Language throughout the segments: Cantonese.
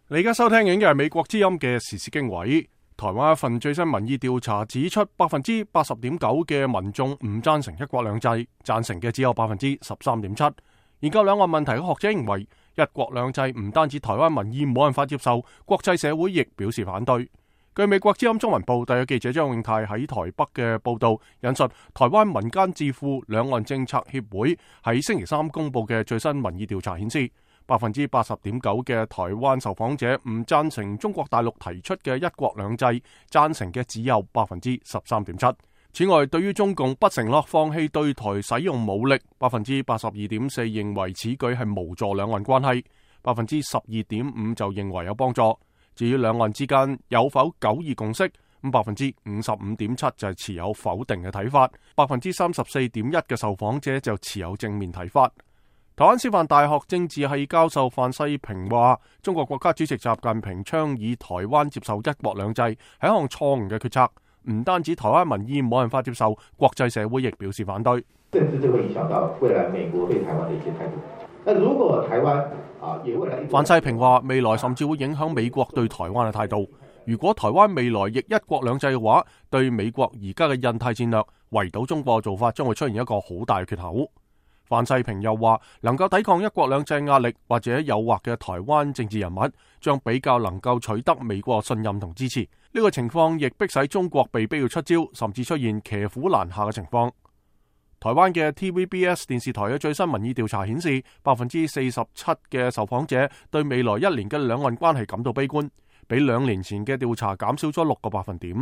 你而家收聽緊嘅係美國之音嘅時事經緯。台灣一份最新民意調查指出，80.9%嘅民眾唔贊成一國兩制，贊成嘅只有13.7%。研究兩岸問題嘅學者認為，一國兩制唔單止台灣民意冇辦法接受，國際社會亦表示反對。據美國之音中文部特約記者張永泰喺台北嘅報道，引述台灣民間智庫兩岸政策協會喺星期三公布嘅最新民意調查顯示，80.9%嘅台灣受訪者唔贊成中國大陸提出嘅一國兩制，贊成嘅只有13.7%。此外，對於中共不承諾放棄對台使用武力，82.4% 認為此舉係無助兩岸關係，12.5% 就認為有幫助。至於兩岸之間有否九二共識，55.7% 就係持有否定嘅睇法，34.1% 嘅受訪者就持有正面睇法。台灣師範大學政治系教授范世平話，中國國家主席習近平倡議台灣接受一國兩制係一項錯誤嘅決策，唔單止台灣民意冇辦法接受，國際社會亦表示反對。甚至就會影響到未來美國對台灣的一些態度。那如果台灣范世平話，未來甚至會影響美國對台灣嘅態度。如果台灣未來亦一國兩制嘅話，對美國而家嘅印太戰略圍堵中國嘅做法將會出現一個好大嘅缺口。范世平又話，能夠抵抗一國兩制壓力或者誘惑嘅台灣政治人物，將比較能夠取得美國信任同支持。呢個情況亦迫使中國被逼要出招，甚至出現騎虎難下嘅情況。台灣嘅 TVBS 電視台嘅最新民意調查顯示，47%嘅受訪者對未來一年嘅兩岸關係感到悲觀，比2年前嘅調查減少咗6個百分點，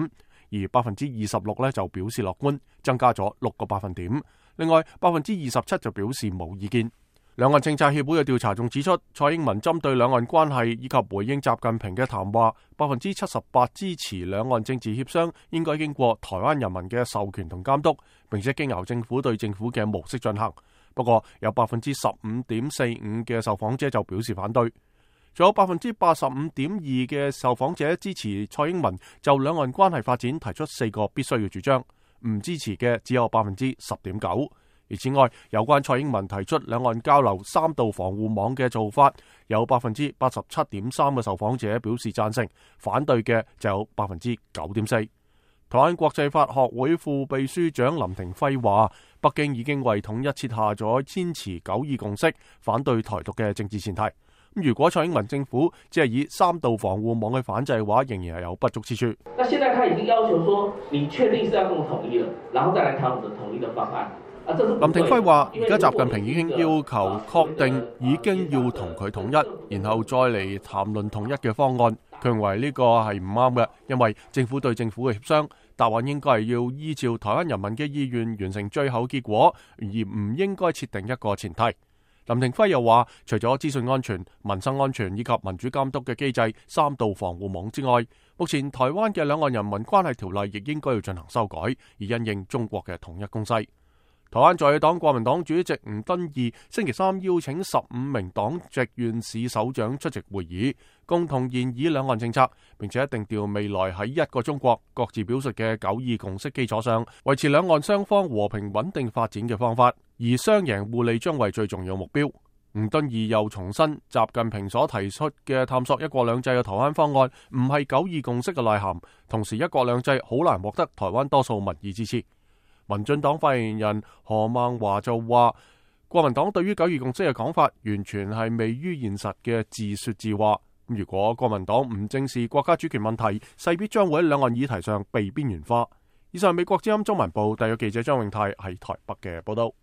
而26%就表示樂觀，增加咗6個百分點。另外27%就表示冇意見。兩岸政策協會嘅調查仲指出，蔡英文針對兩岸關係以及回應習近平嘅談話，78%支持兩岸政治協商應該經過台灣人民嘅授權同監督，並且經由政府對政府嘅模式進行。不過有15.45%嘅受訪者就表示反對，仲有85.2%嘅受訪者支持蔡英文就兩岸關係發展提出4個必須嘅主張，唔支持嘅只有10.9%。而此外，有關蔡英文提出兩岸交流3道防護網嘅做法，有87.3%嘅受訪者表示贊成，反對嘅就有9.4%。台灣國際法學會副秘書長林廷輝話，北京已經為統一設下咗堅持九二共識、反對台獨嘅政治前提。如果蔡英文政府只係以3道防護網去反制嘅話，仍然係有不足之處。那現在他已經要求說，你確定是要跟我統一了，然後再來談我們的統一的方案。林廷輝話，而家習近平已經要求確定已經要同佢統一，然後再嚟談論統一嘅方案。佢認為呢個係唔啱嘅，因為政府對政府嘅協商答案應該係要依照台灣人民嘅意願完成最後結果，而唔應該設定一個前提。林廷輝又話，除咗資訊安全、民生安全以及民主監督嘅機制3道防護網之外，目前台灣嘅兩岸人民關係條例亦應該要進行修改，以因應中國嘅統一攻勢。台灣在野黨國民黨主席吳敦義星期三邀請15名黨籍縣市首長出席會議，共同研議兩岸政策，並且定調未來喺一個中國各自表述嘅九二共識基礎上，維持兩岸雙方和平穩定發展嘅方法，而雙贏互利將為最重要目標。吳敦義又重申，習近平所提出嘅探索一國兩制嘅台灣方案唔係九二共識嘅內涵，同時一國兩制好難獲得台灣多數民意支持。民進黨發言人何孟華就話，國民黨對於九二共識嘅講法完全係未於現實嘅自說自話。如果國民黨唔正視國家主權問題，勢必將會喺兩岸議題上被邊緣化。以上係美國之音中文部特約記者張永泰喺台北嘅報道。